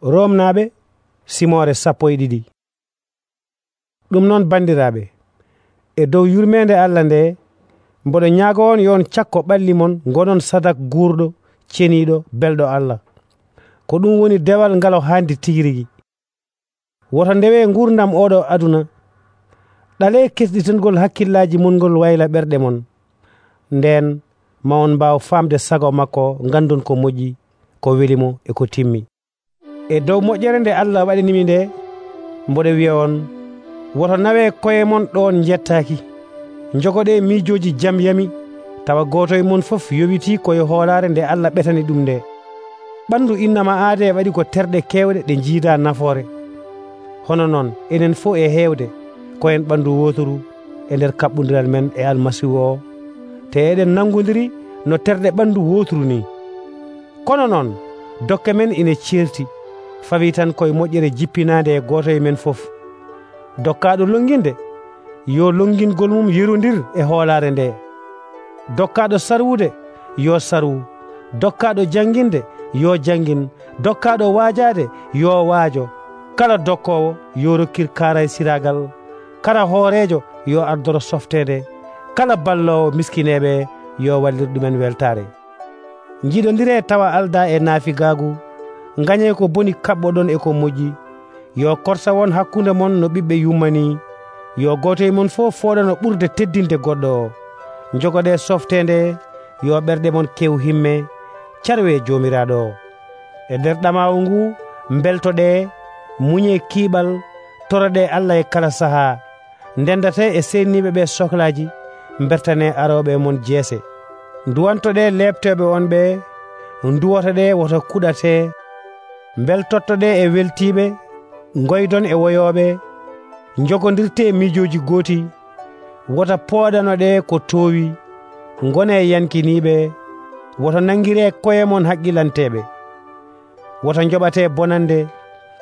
Romnaaɓe simore 12. Ɗum noon bandiraaɓe, e dow yurmeende Allah nde mboɗo ñaago on yo on cakko ɓalli mon ngonon sadak guurɗo ceniiɗo belɗo Allah, ko ɗum woni dewal ngal haandi tigi rigi. Woto ndewe ngurdam oɗo aduna, ɗale kesɗitengol hakkillaaji mon ngol wayla ɓerɗe mon, nden ma on mbaaw faamde sago makko, ngandon ko moƴƴi, ko welimo e ko timmi. E dow moƴƴere nde Allah waɗanimi nde, mboɗo wiya on, woto nawe koye mon ɗon jettaaki, jogoɗe miijooji jam yami, tawa gooto e mon fof yowiti koye hoolaare nde Allah ɓetani ɗum nde. Ɓandu innama aade waɗi ko terɗe keewɗe ɗe jiida nafoore. Hono noon enen fof e heewde koyen ɓandu wootoru e nder kaɓɓodiral men e Almasihu o, te eɗen nangodiri no terɗe ɓandu wootoru ni. Kono noon dokke men ine ceerti, fawi tan koye moƴƴere jippinaande e gooto e men fof. Dokkaaɗo longinde yo longingol mum yerondir e hoolaare nde. Dokkaaɗo sarwude yo sarwu, dokkaaɗo jannginde yo janngin, dokkaaɗo waajaade yo waajo. Kala dokkoowo yo rokkir kaaray siraagal, kala hooreejo yo ardoro softeende, kala balloowo miskineeɓe yo wallir ɗumen weltaare. Njiɗondiree tawa aldaa e naafigaagu, ngañee ko boni kaɓɓoɗon e ko moƴƴi. Yo korsa won hakkunde mon no ɓiɓɓe yummanii, yo gooto e mon fof fooɗano ɓurde teddinde goɗɗo o. Jogoɗe softeende, yo ɓerɗe mon kew himme, carwe joomiraaɗo o. E nder ɗamaawu ngu mbeltoɗe, muñe kiiɓal, toroɗe Allah e kala sahaa, ndendate e seniiɓe ɓe sohlaaji, mbertane arooɓe mon jeese. Nduwantoɗe leɓteɓe on ɓe, nduwotoɗe woto kuɗate, mbeltottoɗe e weltiiɓe, ngoydon e woyooɓe, jogondirte miijooji gooti, wota pooɗanoɗe ko toowi, ngone yankiniiɓe, woto nangiree koye mon haqqilanteɓe, woto njoɓate bonande,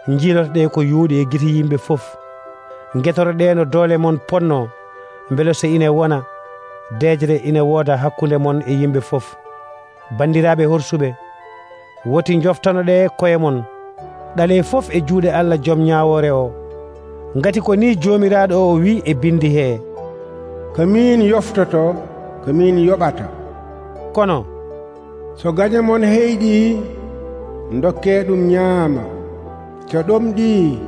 jiilotoɗe ko yuuɗi e gite yimɓe fof, getoroɗe no doole mon ponno, mbele so ine wona deejre ine wooda hakkunde mon e yimɓe fof. Bandiraaɓe horsuɓe, woti joftanoɗe koye mon, ɗale fof e juuɗe Allah joom ñaawoore o, ngati ko ni joomiraaɗo o wi e bindi hee, ko min yoftoto, ko min yoɓata. Kono so gañe mon heyɗi, ndokke ɗum ñaama, so ɗomɗi,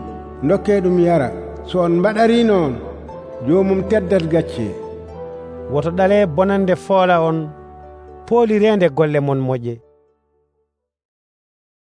ndokke ɗum yara. So on mbaɗari noon, joomum teddat gacce. woto ɗale bonande foola on, poolireende golle mon moƴƴe.